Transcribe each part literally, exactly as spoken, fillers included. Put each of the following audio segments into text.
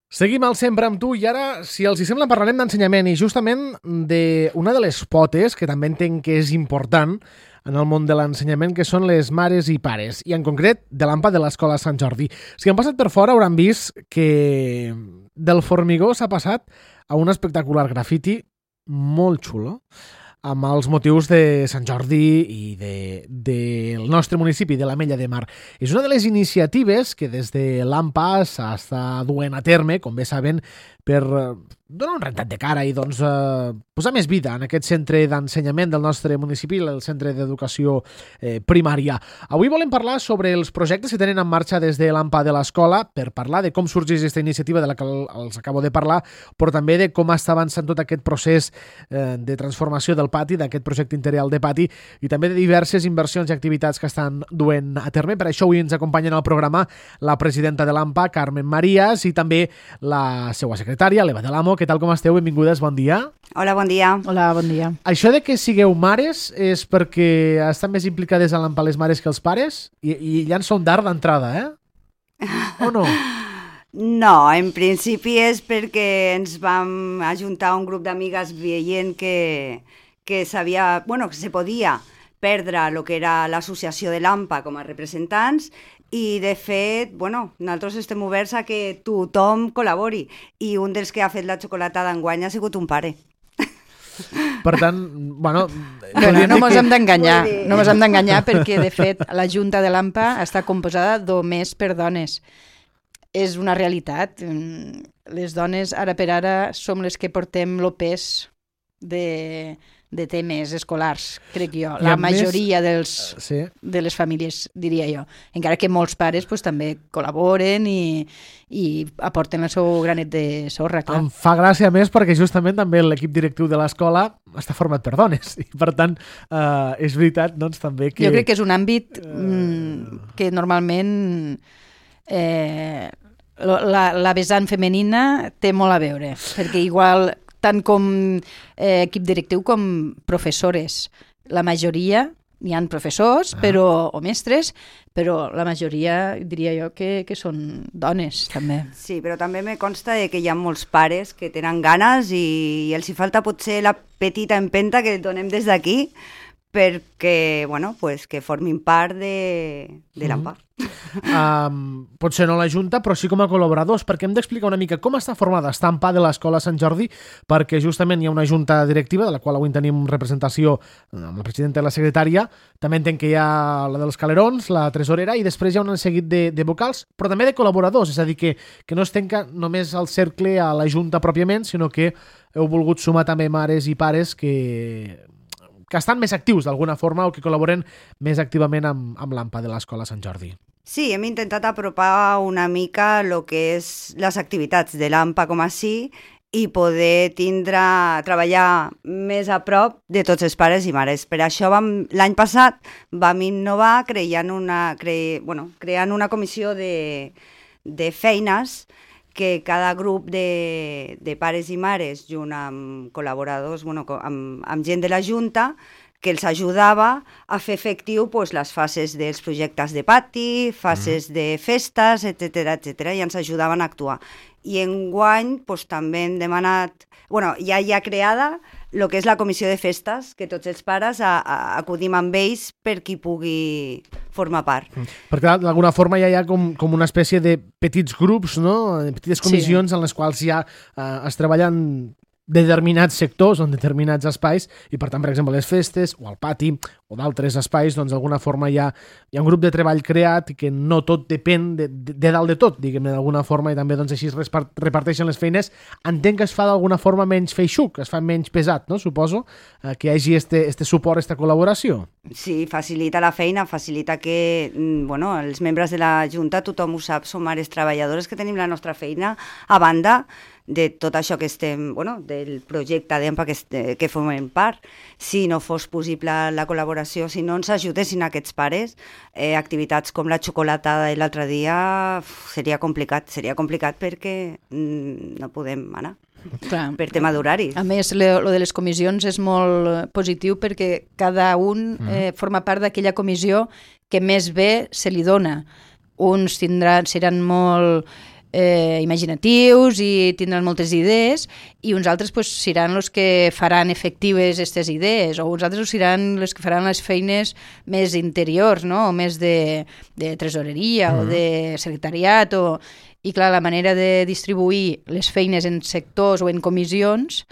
Seguim al Sempre amb tu i ara, si els hi sembla, parlarem d'ensenyament i justament d'una de les potes que també entenc que és important en el món de l'ensenyament, que són les mares i pares, i en concret de l'A M P A de l'Escola Sant Jordi. Si han passat per fora hauran vist que del formigó s'ha passat a un espectacular grafiti molt xulo, amb els motius de Sant Jordi i de, del nostre municipi, de l'Ametlla de Mar. És una de les iniciatives que des de l'A M P A s'està duent a terme, com bé saben, per donar un rentat de cara i doncs, eh, posar més vida en aquest centre d'ensenyament del nostre municipi, el centre d'educació eh, primària. Avui volem parlar sobre els projectes que tenen en marxa des de l'A M P A de l'escola, per parlar de com sorgeix aquesta iniciativa de la que els acabo de parlar, però també de com està avançant tot aquest procés eh, de transformació del pati, d'aquest projecte integral de pati, i també de diverses inversions i activitats que estan duent a terme. Per això avui ens acompanyen al programa la presidenta de l'A M P A, Carmen Marías, i també la seva secretària, l'Eva de l'Amo. Què tal, com esteu? Benvingudes, bon dia. Hola, bon dia. Hola, bon dia. Això de que sigueu mares és perquè estan més implicades a l'A M P A les mares que els pares? I, i ja en són d'art d'entrada, eh? O no? No, en principi és perquè ens vam ajuntar un grup d'amigues veient que, que sabia, bueno, que se podia perdre el que era l'associació de l'A M P A com a representants. I, de fet, bueno, nosaltres estem oberts a que tothom col·labori. I un dels que ha fet la xocolatada enguany ha sigut un pare. Per tant, bueno... Bueno, no ens que... hem d'enganyar, no ens hem d'enganyar perquè, de fet, la Junta de l'A M P A està composada només per dones. És una realitat. Les dones, ara per ara, som les que portem el pes de... de temes escolars, crec jo. La majoria dels, sí. de les famílies, diria jo. Encara que molts pares pues, també col·laboren i, i aporten el seu granet de sorra, clar. Em fa gràcia més perquè justament també l'equip directiu de l'escola està format per dones i per tant eh, és veritat doncs també que... Jo crec que és un àmbit mm, que normalment eh, la, la vessant femenina té molt a veure, perquè igual tant com eh, equip directiu com professores. La majoria, hi ha professors però, o mestres, però la majoria diria jo que, que són dones, també. Sí, però també me consta que hi ha molts pares que tenen ganes i, i els hi falta potser la petita empenta que donem des d'aquí perquè, bueno, pues que formin part de, de l'A M P A. Um, potser no la Junta, però sí com a col·laboradors, perquè hem d'explicar una mica com està formada aquesta A M P A de l'Escola Sant Jordi, perquè justament hi ha una junta directiva, de la qual avui tenim representació amb la presidenta i la secretària, també entenc que hi ha la dels calerons, la tresorera, i després hi ha un seguit de, de vocals, però també de col·laboradors, és a dir, que, que no es tanca només el cercle a la Junta pròpiament, sinó que heu volgut sumar també mares i pares que... que estan més actius d'alguna forma o que col·laboren més activament amb, amb l'A M P A de l'Escola Sant Jordi. Sí, hem intentat apropar una mica el que és les activitats de l'A M P A com així i poder tindre, treballar més a prop de tots els pares i mares. Per això vam, l'any passat vam innovar creant una, cre, bueno, creant una comissió de, de feines que cada grup de, de pares i mares, junt amb col·laboradors, bueno, amb, amb gent de la Junta, que els ajudava a fer efectiu pues, les fases dels projectes de pati, fases mm. de festes, etcètera, etcètera, i ens ajudaven a actuar. I enguany pues, també hem demanat, bueno, ja hi ha creada el que és la comissió de festes, que tots els pares a, a, acudim amb ells per qui pugui formar part. Mm. Perquè d'alguna forma ja hi ha com, com una espècie de petits grups, no? Petites comissions sí. en les quals ja eh, es treballen determinats sectors o en determinats espais i, per tant, per exemple, les festes o el pati o d'altres espais, doncs d'alguna forma hi ha, hi ha un grup de treball creat i que no tot depèn de, de, de dalt de tot, diguem-ne, d'alguna forma, i també doncs, així es reparteixen les feines. Entenc que es fa d'alguna forma menys feixuc, es fa menys pesat, no? Suposo, eh, que hi hagi este, este suport, esta col·laboració. Sí, facilita la feina, facilita que, bueno, els membres de la Junta, tothom ho sap, som àrees treballadores que tenim la nostra feina a banda de tot això que estem, bueno, del projecte d'A M P A que, que formem part. Si no fos possible la col·laboració, si no ens ajudessin aquests pares, eh, activitats com la xocolatada de l'altre dia uf, seria complicat, seria complicat perquè mm, no podem anar. Clar. Per tema d'horaris. A més, lo de les comissions és molt positiu perquè cada un eh, forma part d'aquella comissió que més bé se li dona. Uns tindran, seran molt eh, imaginatius i tindran moltes idees, i uns altres pues, seran els que faran efectives aquestes idees, o uns altres seran els que faran les feines més interiors, no? O més de, de tresoreria mm. o de secretariat. O... I clar, la manera de distribuir les feines en sectors o en comissions,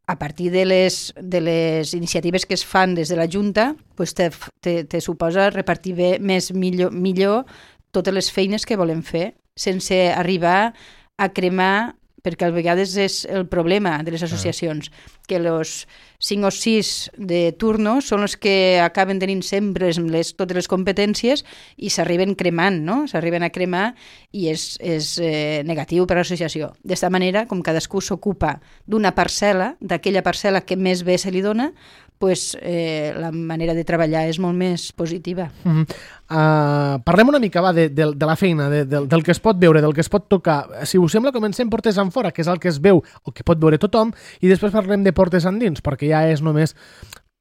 a partir de les, de les iniciatives que es fan des de la Junta, pues te, te, te suposa repartir bé, més millor, millor totes les feines que volem fer, sense arribar a cremar, perquè a vegades és el problema de les associacions, que els cinc o sis de turno són els que acaben tenint sempre les, totes les competències i s'arriben cremant, no? S'arriben a cremar i és, és eh, negatiu per a l'associació. D'esta manera, com cadascú s'ocupa d'una parcel·la, d'aquella parcel·la que més bé se li dona, pues, eh, la manera de treballar és molt més positiva. Mm -hmm. uh, parlem una mica va, de, de, de la feina, de, de, del que es pot veure, del que es pot tocar. Si us sembla, comencem portes en fora, que és el que es veu o que pot veure tothom, i després parlem de portes endins, perquè ja és només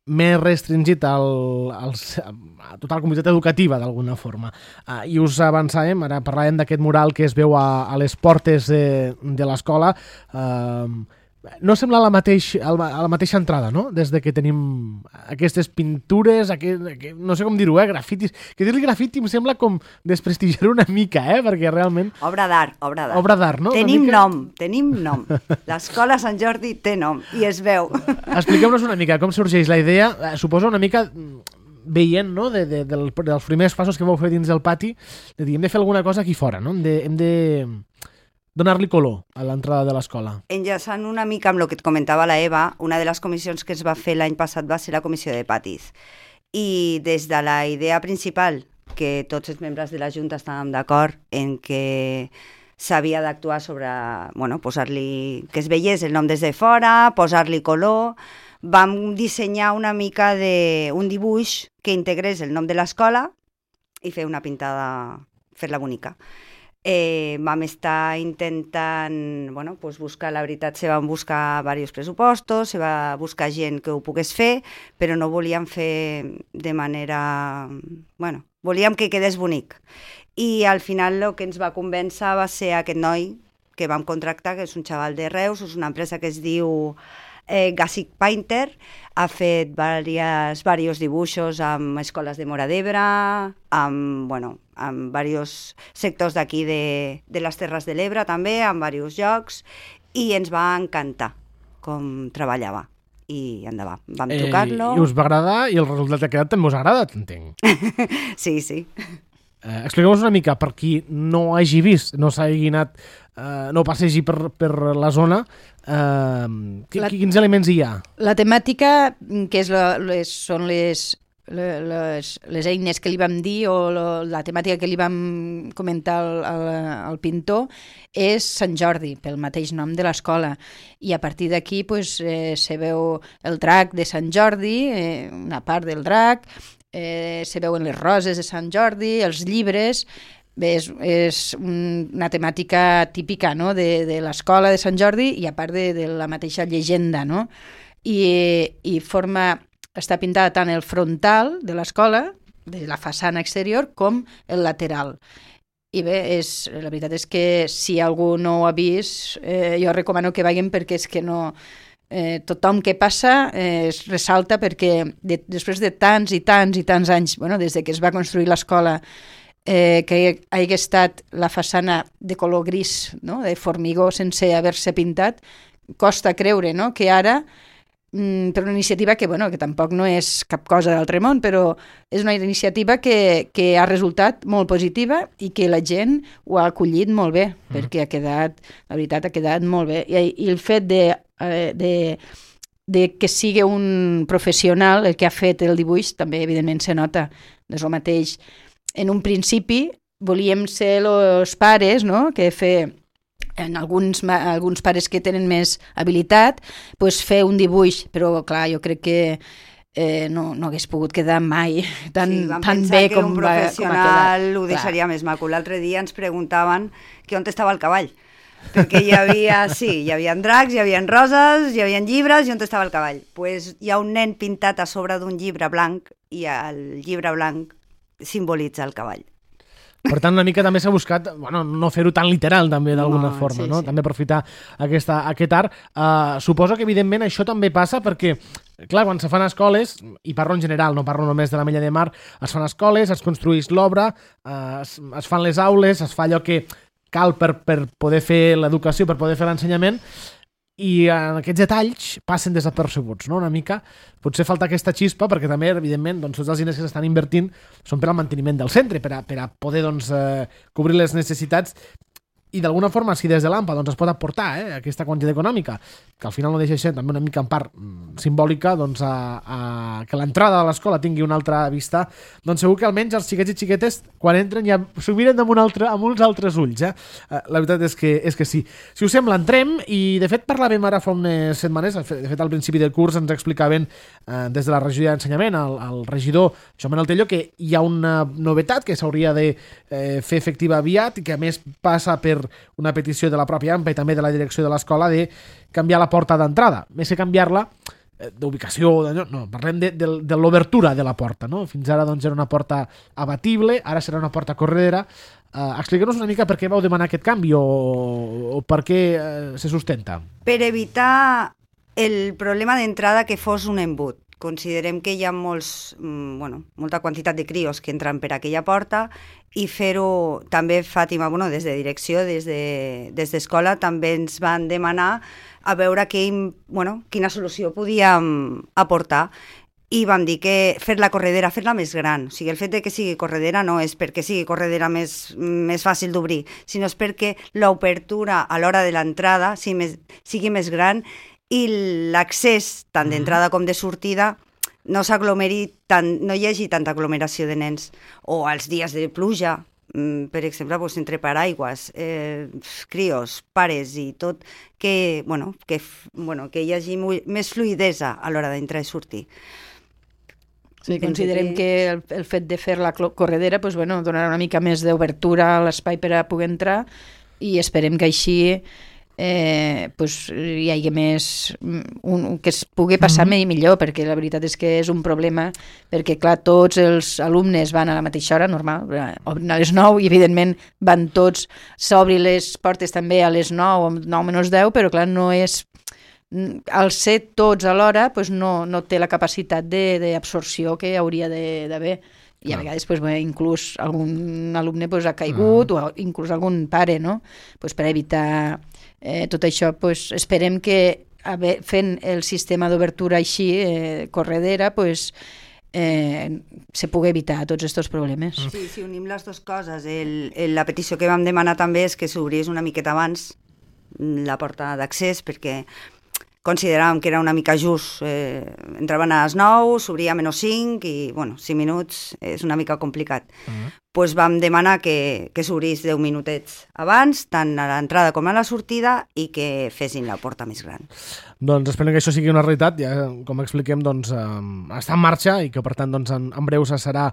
més restringit al, als, a tota la comunitat educativa, d'alguna forma. Uh, I us avançàvem, ara parlàvem d'aquest mural que es veu a, a les portes de, de l'escola. Uh, No sembla la, mateix, a la mateixa entrada, no? Des de que tenim aquestes pintures, aquest, aquest, no sé com dir-ho, eh? Grafitis. Que dir-li grafiti em sembla com desprestigiar una mica, eh? Perquè realment... Obra d'art, obra d'art. Obra d'art, no? Tenim mica... nom, tenim nom. L'escola Sant Jordi té nom i es veu. Expliqueu-nos una mica com sorgeix la idea. Suposo una mica veient, no?, de, de, del, dels primers passos que vau fer dins del pati, de dir, hem de fer alguna cosa aquí fora, no? Hem de... Hem de... donar-li color a l'entrada de l'escola. Enllaçant una mica amb el que et comentava la Eva, una de les comissions que es va fer l'any passat va ser la comissió de patis. I des de la idea principal, que tots els membres de la Junta estàvem d'acord en que s'havia d'actuar sobre, bueno, posar-li, que es veiés el nom des de fora, posar-li color, vam dissenyar una mica de un dibuix que integrés el nom de l'escola i fer una pintada, fer-la bonica. Eh, vam estar intentant bueno, pues buscar, la veritat, se van buscar diversos pressupostos, se va buscar gent que ho pogués fer, però no volíem fer de manera... Bueno, volíem que quedés bonic. I al final el que ens va convèncer va ser aquest noi que vam contractar, que és un xaval de Reus, és una empresa que es diu eh, Gassic Painter, ha fet diversos dibuixos amb escoles de Móra d'Ebre, amb, bueno, amb diversos sectors d'aquí de, de les Terres de l'Ebre també, amb diversos llocs, i ens va encantar com treballava. I endavant, vam eh, tocar-lo. I us va agradar i el resultat que ha quedat també us ha agradat, entenc. Sí, sí. Eh, Expliqueu-nos una mica, per qui no hagi vist, no s'hagi anat, eh, no passegi per, per la zona, eh, la, quins elements hi ha? La temàtica, que és la, les, són les, les, les eines que li vam dir, o la, la temàtica que li vam comentar al, al, al pintor, és Sant Jordi, pel mateix nom de l'escola. I a partir d'aquí pues, eh, se veu el drac de Sant Jordi, eh, una part del drac, Eh, se veuen les roses de Sant Jordi, els llibres. Bé, és, és una temàtica típica, no?, de, de l'escola de Sant Jordi i a part de, de la mateixa llegenda, no? I, i forma, està pintada tant el frontal de l'escola, de la façana exterior, com el lateral. I bé, és, la veritat és que si algú no ho ha vist, eh, jo recomano que vagin perquè és que no... Eh, tothom que passa eh, es ressalta perquè de, després de tants i tants i tants anys, bueno, des de que es va construir l'escola, eh, que hagi estat la façana de color gris, no?, de formigó sense haver-se pintat, costa creure, no?, que ara, mm, per una iniciativa que, bueno, que tampoc no és cap cosa d'altre món, però és una iniciativa que, que ha resultat molt positiva i que la gent ho ha acollit molt bé, mm. perquè ha quedat, la veritat, ha quedat molt bé. I, i el fet de De, de que sigui un professional el que ha fet el dibuix també evidentment se nota. És el mateix. En un principi volíem ser els pares, no?, que fer en alguns, alguns pares que tenen més habilitat, pues fer un dibuix, però clar, jo crec que eh, no, no hagués pogut quedar mai tan, sí, tan bé com, un va, com ha quedat. Ho deixaria clar. Més maco. L'altre dia ens preguntaven que on estava el cavall. Perquè hi havia, sí, hi havia dracs, hi havia roses, hi havia llibres i on estava el cavall. Pues hi ha un nen pintat a sobre d'un llibre blanc i el llibre blanc simbolitza el cavall. Per tant, una mica també s'ha buscat, bueno, no fer-ho tan literal també d'alguna No, forma, sí, no? sí. També aprofitar aquesta, aquest art. Uh, suposo que evidentment això també passa perquè, clar, quan se fan escoles, i parlo en general, no parlo només de la Mella de Mar, es fan escoles, es construeix l'obra, uh, es, es fan les aules, es fa allò que cal per, per poder fer l'educació, per poder fer l'ensenyament, i en aquests detalls passen desapercebuts, no? Una mica. Potser falta aquesta xispa perquè també, evidentment, doncs, tots els diners que s'estan invertint són per al manteniment del centre, per a, per a poder doncs, eh, cobrir les necessitats i d'alguna forma, si des de l'AMPA doncs, es pot aportar eh, aquesta quantitat econòmica, que al final no deixa de ser també una mica en part mm, simbòlica, doncs, a, a, que l'entrada de l'escola tingui una altra vista, doncs segur que almenys els xiquets i xiquetes, quan entren, ja s'ho miren amb, un altre, amb uns altres ulls. Eh? La veritat és que, és que sí. Si us sembla, entrem, i de fet parlàvem ara fa unes setmanes, de fet al principi del curs ens explicaven eh, des de la regió d'ensenyament, el, el regidor Joan Manuel Tello, que hi ha una novetat que s'hauria de eh, fer efectiva aviat i que a més passa per una petició de la pròpia AMPA i també de la direcció de l'escola de canviar la porta d'entrada. Més que canviar-la eh, d'ubicació, de, no, parlem de, de, de l'obertura de la porta. No? Fins ara doncs, era una porta abatible, ara serà una porta corredera. Eh, Expliqueu-nos una mica per què vau demanar aquest canvi o, o per què eh, se sustenta. Per evitar el problema d'entrada que fos un embut. Considerem que hi ha molts, bueno, molta quantitat de crios que entren per aquella porta i fer-ho, també Fàtima, bueno, des de direcció, des de, des d'escola, també ens van demanar a veure que, bueno, quina solució podíem aportar. I vam dir que fer la corredera, fer-la més gran. O sigui, el fet de que sigui corredera no és perquè sigui corredera més, més fàcil d'obrir, sinó és perquè l'obertura a l'hora de l'entrada sigui més, sigui més gran i l'accés, tant d'entrada com de sortida, no s'aglomeri tant, no hi hagi tanta aglomeració de nens. O als dies de pluja, per exemple, doncs, entre paraigües, eh, crios, pares i tot, que, bueno, que, bueno, que hi hagi més fluidesa a l'hora d'entrar i sortir. Sí, considerem que el, el fet de fer la corredera pues, bueno, donarà una mica més d'obertura a l'espai per a poder entrar i esperem que així eh, pues, hi hagi més un, que es pugui passar mm-hmm. millor, perquè la veritat és que és un problema, perquè clar, tots els alumnes van a la mateixa hora, normal, obren a les nou i evidentment van tots, s'obri les portes també a les nou o nou menys deu, però clar, no és al ser tots alhora pues no, no té la capacitat d'absorció que hauria d'haver. I a vegades pues, bé, inclús algun alumne pues, ha caigut uh -huh. o inclús algun pare, no? Pues, per evitar eh, tot això, pues, esperem que haver, fent el sistema d'obertura així, eh, corredera, pues, eh, se pugui evitar tots aquests problemes. Sí, si unim les dues coses, el, el, la petició que vam demanar també és que s'obrís una miqueta abans la porta d'accés, perquè consideràvem que era una mica just. Eh, entraven a les nou, s'obria a menys cinc i, bueno, cinc minuts és una mica complicat. Doncs uh-huh. pues vam demanar que, que s'obrís deu minutets abans, tant a l'entrada com a la sortida, i que fessin la porta més gran. Doncs esperem que això sigui una realitat, ja com expliquem, doncs, eh, està en marxa i que per tant doncs, en, en breu serà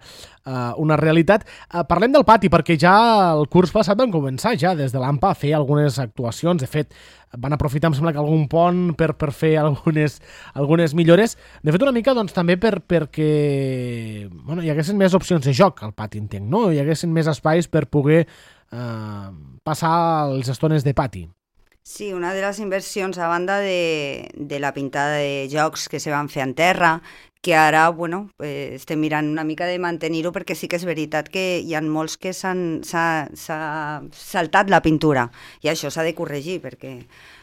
eh, una realitat. Eh, parlem del pati, perquè ja el curs passat vam començar ja des de l'AMPA a fer algunes actuacions. De fet, van aprofitar, em sembla que algun pont per, per fer algunes, algunes millores. De fet, una mica doncs, també per, perquè bueno, hi haguessin més opcions de joc al pati, entenc, no? Hi haguessin més espais per poder eh, passar les estones de pati. Sí, una de les inversions, a banda de, de la pintada de jocs que se van fer en terra, que ara, bueno, eh, estem mirant una mica de mantenir-ho, perquè sí que és veritat que hi ha molts que s'han saltat la pintura, i això s'ha de corregir, perquè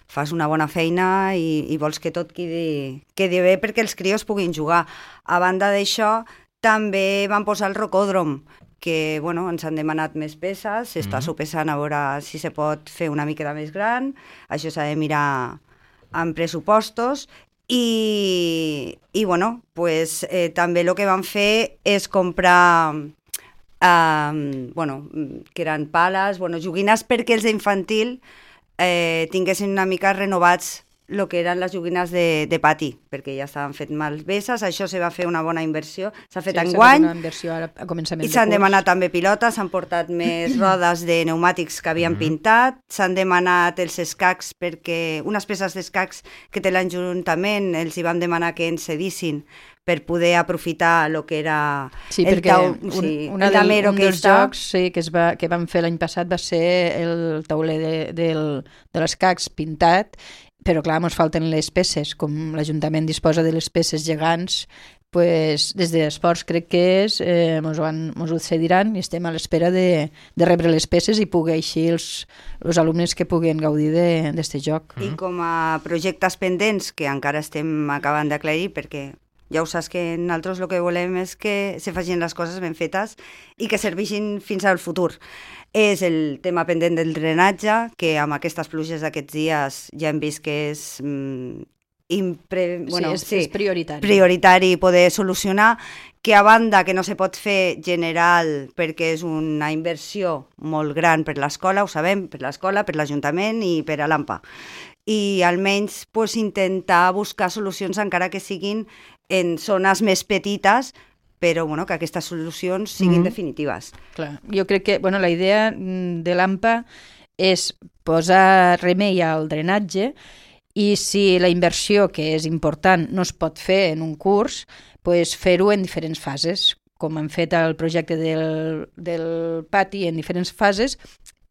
fas una bona feina i, i vols que tot quedi, quedi bé perquè els crios puguin jugar. A banda d'això, també van posar el rocòdrom, que bueno, ens han demanat més peces, s'està mm-hmm. sopesant a veure si se pot fer una miqueta més gran, això s'ha de mirar amb pressupostos, i, i bueno, pues, eh, també el que van fer és comprar eh, bueno, que eren pales, bueno, joguines perquè els d'infantil eh, tinguessin una mica renovats el que eren les joguines de, de pati, perquè ja estaven fet malveses, això se va fer una bona inversió, s'ha fet Sí, s'ha enguany, fet una inversió ara a començament i de s'han curs. demanat també pilotes, s'han portat més rodes de pneumàtics que havien pintat, s'han demanat els escacs perquè unes peces d'escacs que té l'Ajuntament els hi vam demanar que ens cedissin per poder aprofitar el que era Sí, el perquè tau, un, sí, una el del, damero un que dels està... jocs sí, que, es va, que vam fer l'any passat va ser el tauler de, del, de les cacs pintat, però clar, ens falten les peces, com l'Ajuntament disposa de les peces gegants, pues, des d'Esports crec que és, eh, mos, ho han, mos ho cediran i estem a l'espera de, de rebre les peces i poder així els, els alumnes que puguen gaudir d'aquest joc. I com a projectes pendents, que encara estem acabant d'aclarir, perquè ja ho saps que nosaltres el que volem és que se facin les coses ben fetes i que serveixin fins al futur. És el tema pendent del drenatge, que amb aquestes pluges d'aquests dies ja hem vist que és... Mm, impre... bueno, sí, és, sí, és prioritari. prioritari poder solucionar, que a banda que no se pot fer general perquè és una inversió molt gran per l'escola, ho sabem, per l'escola, per l'Ajuntament i per a l'AMPA. I almenys pues, intentar buscar solucions encara que siguin en zones més petites, però bueno, que aquestes solucions siguin Mhm. definitives. Clar. Jo crec que bueno, la idea mm, de l'AMPA és posar remei al drenatge i si la inversió, que és important, no es pot fer en un curs, pues fer-ho en diferents fases, com han fet el projecte del, del pati en diferents fases.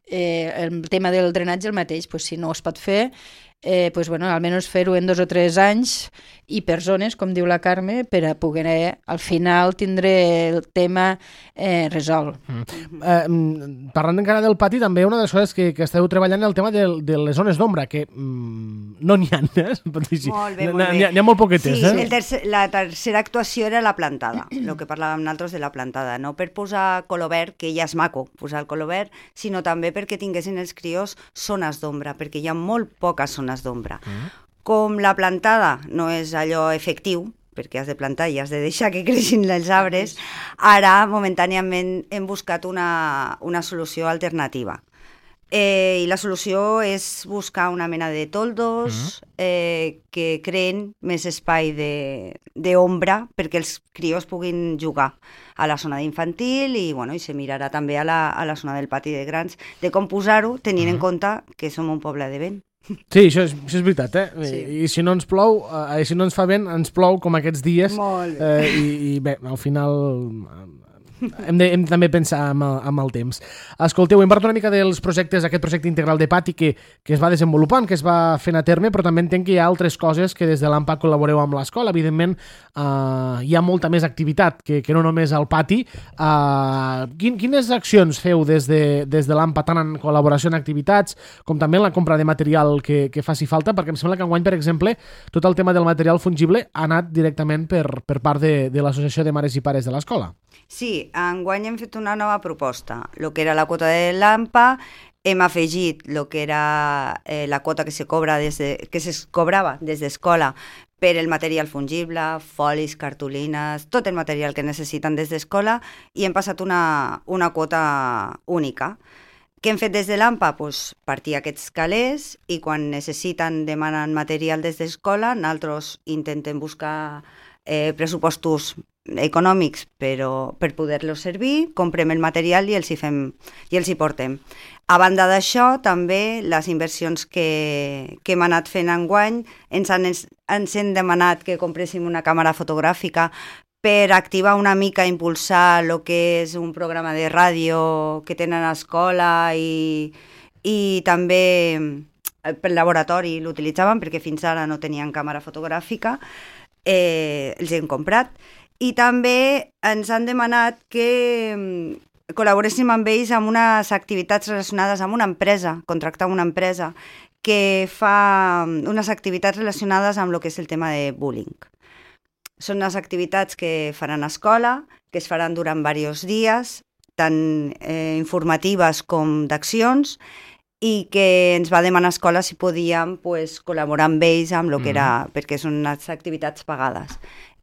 Eh, el tema del drenatge el mateix, pues, si no es pot fer, eh, pues, bueno, almenys fer-ho en dos o tres anys i per zones, com diu la Carme, per a poder eh, al final tindre el tema eh, resolt. Mm. Eh, mm, parlant encara del pati, també una de les coses que, que esteu treballant el tema de, de les zones d'ombra, que mm, no n'hi ha, eh? Pot dir així. Molt bé, N'hi molt ha- bé. N'hi ha, n'hi ha molt poquetes, Sí, eh? el tercer, la tercera actuació era la plantada, el que parlàvem nosaltres de la plantada, no per posar color verd, que ja és maco posar el color verd, sinó també perquè tinguessin els crios zones d'ombra, perquè hi ha molt poques zones d'ombra. Mm. Com la plantada no és allò efectiu, perquè has de plantar i has de deixar que creixin els arbres, ara momentàniament hem buscat una, una solució alternativa. Eh, I la solució és buscar una mena de toldos mm. eh, que creen més espai d'ombra perquè els crios puguin jugar a la zona d'infantil i, bueno, i se mirarà també a la, a la zona del pati de grans de com posar-ho, tenint mm. en compte que som un poble de vent. Sí, això és, això és veritat, eh? Sí. I, I si no ens plou, eh, si no ens fa vent, ens plou com aquests dies. Molt bé. Eh, i, I bé, al final... Eh, hem de, hem de també pensar amb el, amb el temps. Escolteu, hem parlat una mica dels projectes, aquest projecte integral de pati que, que es va desenvolupant, que es va fent a terme, però també entenc que hi ha altres coses que des de l'AMPA col·laboreu amb l'escola. Evidentment, eh, hi ha molta més activitat que, que no només al pati. Eh, quin, quines accions feu des de, des de l'AMPA, tant en col·laboració en activitats com també en la compra de material que, que faci falta? Perquè em sembla que enguany, per exemple, tot el tema del material fungible ha anat directament per, per part de, de l'Associació de Mares i Pares de l'escola. Sí, enguany hem fet una nova proposta. El que era la quota de l'AMPA, hem afegit el que era eh, la quota que se cobra des de, que se cobrava des d'escola per el material fungible, folis, cartolines, tot el material que necessiten des d'escola, i hem passat una, una quota única. Què hem fet des de l'AMPA? Pues, partir aquests calés i quan necessiten, demanen material des d'escola, nosaltres intentem buscar eh, pressupostos econòmics però per poder-los servir, comprem el material i els hi fem i els hi portem. A banda d'això, també les inversions que, que hem anat fent enguany ens han, ens han demanat que compréssim una càmera fotogràfica per activar una mica, impulsar el que és un programa de ràdio que tenen a l'escola i, i també pel laboratori l'utilitzaven perquè fins ara no tenien càmera fotogràfica, eh, els hem comprat. I també ens han demanat que col·laboréssim amb ells en unes activitats relacionades amb una empresa, contractar una empresa que fa unes activitats relacionades amb el que és el tema de bullying. Són unes activitats que faran a escola, que es faran durant diversos dies, tant eh, informatives com d'accions, i que ens va demanar a escola si podíem pues, col·laborar amb ells amb el que era, mm. perquè són unes activitats pagades.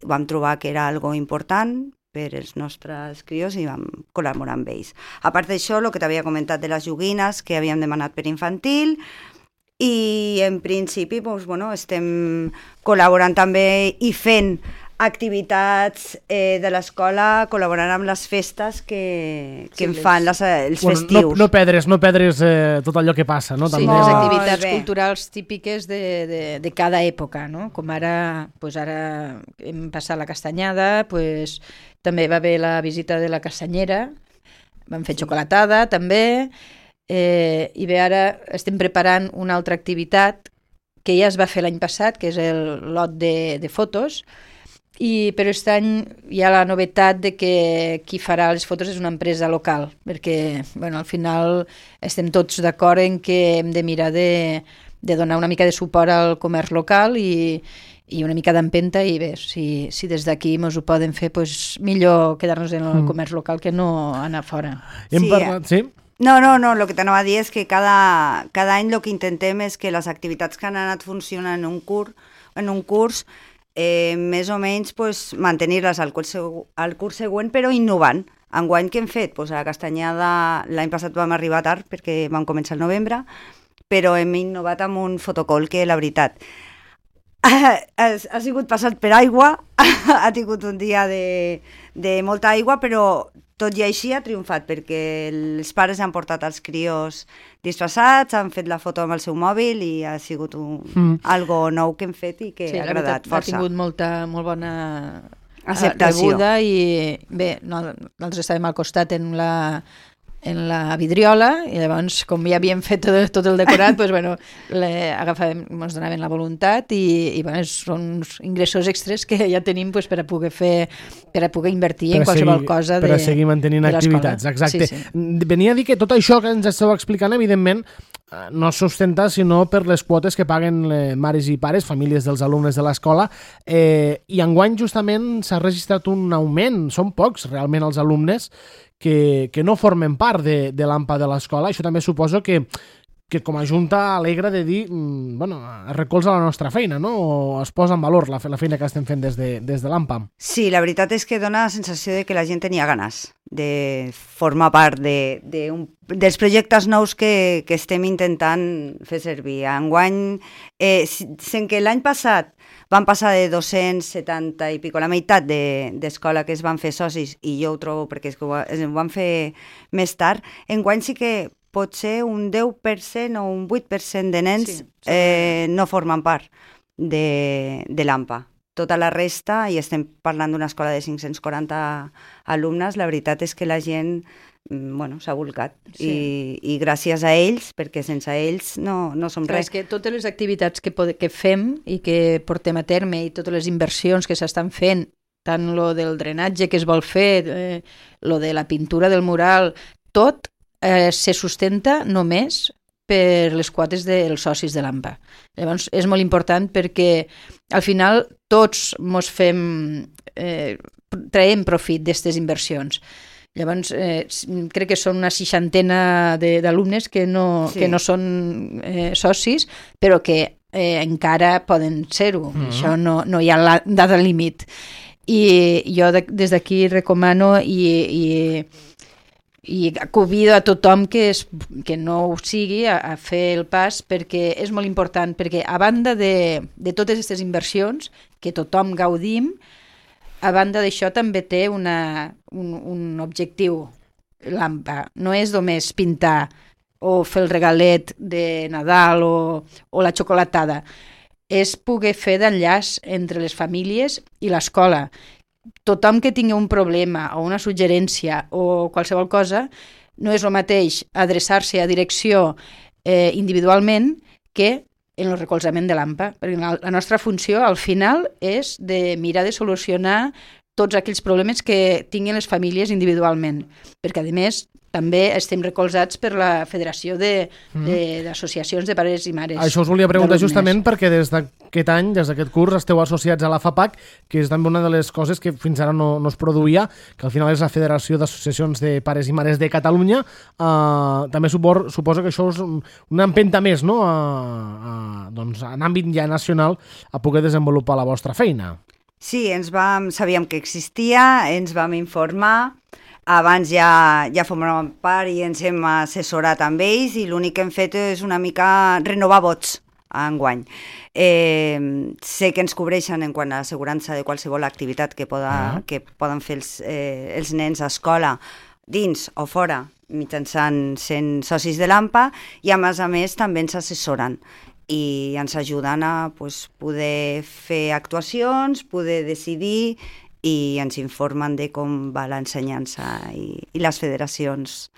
Vam trobar que era algo important per als nostres crios i vam col·laborar amb ells. A part d'això, el que t'havia comentat de les joguines que havíem demanat per infantil, i en principi doncs, bueno, estem col·laborant també i fent activitats eh, de l'escola, col·laborant amb les festes que, que sí, en fan les, els bueno, festius. No, no perdre's, no perdre's eh, tot allò que passa, no? Sí, També les a... activitats culturals típiques de, de, de cada època, no? Com ara, pues ara hem passat la castanyada, pues, també va haver la visita de la castanyera, vam fer xocolatada també, eh, i bé, ara estem preparant una altra activitat que ja es va fer l'any passat, que és el lot de, de fotos, i però aquest any hi ha la novetat de que qui farà les fotos és una empresa local, perquè bueno, al final estem tots d'acord en que hem de mirar de, de donar una mica de suport al comerç local i, i una mica d'empenta, i bé, si, si des d'aquí ens ho poden fer, pues, millor quedar-nos en el comerç local que no anar fora. Hem Sí, parlat, sí? No, no, no, el que t'anava a dir és que cada, cada any el que intentem és que les activitats que han anat funcionant en un curs, en un curs eh, més o menys pues, mantenir-les al curs, al curs següent, però innovant. Enguany què hem fet? Pues a la castanyada l'any passat vam arribar tard perquè vam començar el novembre, però hem innovat amb un fotocall que, la veritat, ha, ha sigut passat per aigua, ha tingut un dia de, de molta aigua, però tot i així ha triomfat, perquè els pares han portat els crios disfressats, han fet la foto amb el seu mòbil i ha sigut un, mm. algo nou que hem fet i que sí, ha agradat veritat, força. Ha tingut molta, molt bona acceptació. rebuda i bé, no, nosaltres estàvem al costat en la, en la vidriola i llavors com ja havíem fet tot, tot el decorat doncs, bueno, le, agafàvem, ens donaven la voluntat i, i bueno, són uns ingressos extras que ja tenim doncs, per a poder fer, per a poder invertir per en qualsevol seguir, cosa de, per a seguir mantenint activitats, exacte. Sí, sí. Venia a dir que tot això que ens esteu explicant, evidentment, no es sustenta sinó per les quotes que paguen mares i pares, famílies dels alumnes de l'escola, eh, i enguany justament s'ha registrat un augment, són pocs realment els alumnes que, que no formen part de, de l'A M P A de l'escola. Això també suposo que, que com a Junta alegra de dir, bueno, recolza la nostra feina, no? O es posa en valor la, la feina que estem fent des de, des de l'A M P A. Sí, la veritat és que dona la sensació de que la gent tenia ganes de formar part de, de un, dels projectes nous que, que estem intentant fer servir. Enguany, eh, sent que l'any passat van passar de dos-cents setanta i pico, la meitat d'escola de, que es van fer socis, i jo ho trobo perquè és que ho, ho van fer més tard, enguany sí que pot ser un deu per cent o un vuit per cent de nens sí, eh, no formen part de, de l'A M P A. Tota la resta, i estem parlant d'una escola de cinc-cents quaranta alumnes, la veritat és que la gent bueno, s'ha volcat. Sí. I, I gràcies a ells, perquè sense ells no, no som Clar, res. És que totes les activitats que, pod que fem i que portem a terme i totes les inversions que s'estan fent, tant lo del drenatge que es vol fer, eh, lo de la pintura del mural, tot eh, se sustenta només per les quotes dels socis de l'A M P A. Llavors, és molt important perquè al final tots mos fem, eh, traiem profit d'aquestes inversions. Llavors, eh, crec que són una seixantena d'alumnes que, no, sí. que no són eh, socis, però que eh, encara poden ser-ho. Mm-hmm. Això no, no hi ha la data límit. I jo de, des d'aquí recomano i... i i convido a tothom que, es, que no ho sigui a, a fer el pas, perquè és molt important, perquè a banda de, de totes aquestes inversions que tothom gaudim, a banda d'això també té una, un, un objectiu, l'A M P A. No és només pintar o fer el regalet de Nadal o, o la xocolatada, és poder fer d'enllaç entre les famílies i l'escola. Tothom que tingui un problema o una suggerència o qualsevol cosa, no és el mateix adreçar-se a direcció eh, individualment que en el recolzament de l'A M P A. Perquè la, la nostra funció, al final, és de mirar de solucionar tots aquells problemes que tinguin les famílies individualment. Perquè, a més, també estem recolzats per la Federació d'Associacions de, de, de Pares i Mares. Això us volia preguntar justament perquè des d'aquest any, des d'aquest curs, esteu associats a la FAPAC, que és també una de les coses que fins ara no, no es produïa, que al final és la Federació d'Associacions de Pares i Mares de Catalunya. Uh, també supor, suposo que això és una empenta més, no?, a, a, doncs, en àmbit ja nacional, a poder desenvolupar la vostra feina. Sí, ens vam, sabíem que existia, ens vam informar. abans ja, ja formàvem part i ens hem assessorat amb ells i l'únic que hem fet és una mica renovar vots enguany. Eh, sé que ens cobreixen en quant a assegurança de qualsevol activitat que, poda, ah. que poden fer els, eh, els nens a escola, dins o fora, mitjançant sent socis de l'AMPA, i a més a més també ens assessoren i ens ajuden a pues, poder fer actuacions, poder decidir i ens informen de com va l'ensenyança i, i les federacions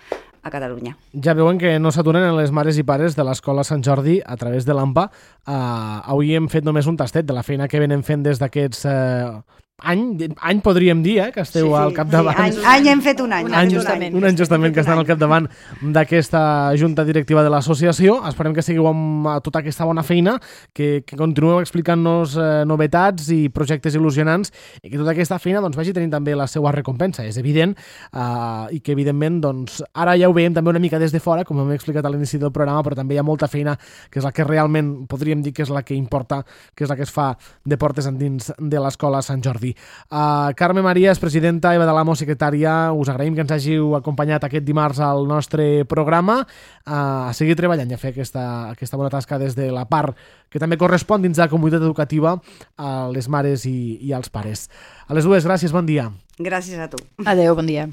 a Catalunya. Ja veuen que no s'aturen les mares i pares de l'Escola Sant Jordi a través de l'AMPA. Uh, avui hem fet només un tastet de la feina que venen fent des d'aquests uh, any, any podríem dir, eh, que esteu sí, al capdavant. Sí, any, any hem fet un any. Un any, justament. Un any justament que estan al capdavant d'aquesta junta directiva de l'associació. Esperem que seguiu amb tota aquesta bona feina, que, que continueu explicant-nos eh, novetats i projectes il·lusionants i que tota aquesta feina doncs, vagi tenint també la seva recompensa. És evident eh, i que evidentment doncs, ara ja ho veiem també una mica des de fora, com hem explicat a l'inici del programa, però també hi ha molta feina que és la que realment podríem dir que és la que importa, que és la que es fa de portes endins de l'Escola Sant Jordi. Uh, Carme Maries, presidenta, Eva de l'Amo, secretària, us agraïm que ens hàgiu acompanyat aquest dimarts al nostre programa, uh, a seguir treballant i a fer aquesta, aquesta bona tasca des de la part que també correspon dins de la comunitat educativa a les mares i, i als pares. A les dues, gràcies, bon dia. Gràcies a tu. Adéu, bon dia.